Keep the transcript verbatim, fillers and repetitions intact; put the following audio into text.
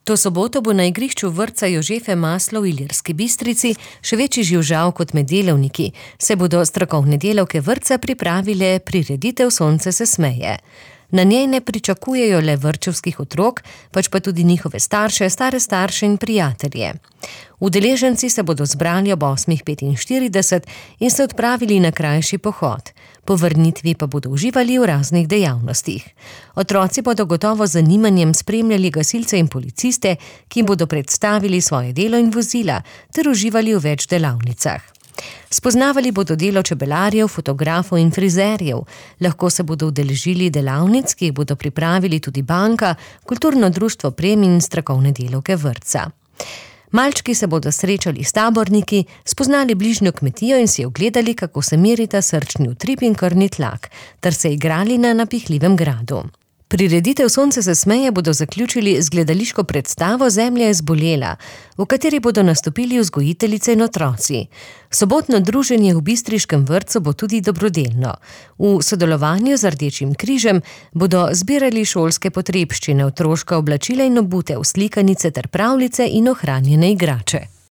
To soboto bo na igrišču vrtca Jožefe Maslo v Ilirski Bistrici še večji živžav kot med delavniki, se bodo strokovne delavke vrtca pripravile prireditev Sonce se smeje. Na njej ne pričakujejo le vrtčevskih otrok, pač pa tudi njihove starše, stare starše in prijatelje. Udeleženci se bodo zbrali ob osmih petinštirideset in se odpravili na krajši pohod. Po vrnitvi pa bodo uživali v raznih dejavnostih. Otroci bodo gotovo z zanimanjem spremljali gasilce in policiste, ki jim bodo predstavili svoje delo in vozila, ter uživali v več delavnicah. Spoznavali bodo delo čebelarjev, fotografov in frizerjev. Lahko se bodo udeležili delavnic, ki jih bodo pripravili tudi banka, kulturno društvo Prem in strokovne delavke vrtca. Malčki se bodo srečali s taborniki, spoznali bližnjo kmetijo in si ogledali, kako se merita srčni utrip in krvni tlak, ter se igrali na napihljivem gradu. Prireditev Sonce se smeje bodo zaključili z gledališko predstavo Zemlja je zbolela, v kateri bodo nastopili vzgojiteljice in otroci. Sobotno druženje v bistriškem vrtcu bo tudi dobrodelno. V sodelovanju z Rdečim križem bodo zbirali šolske potrebščine, otroška oblačila in obute, slikanice ter pravljice in ohranjene igrače.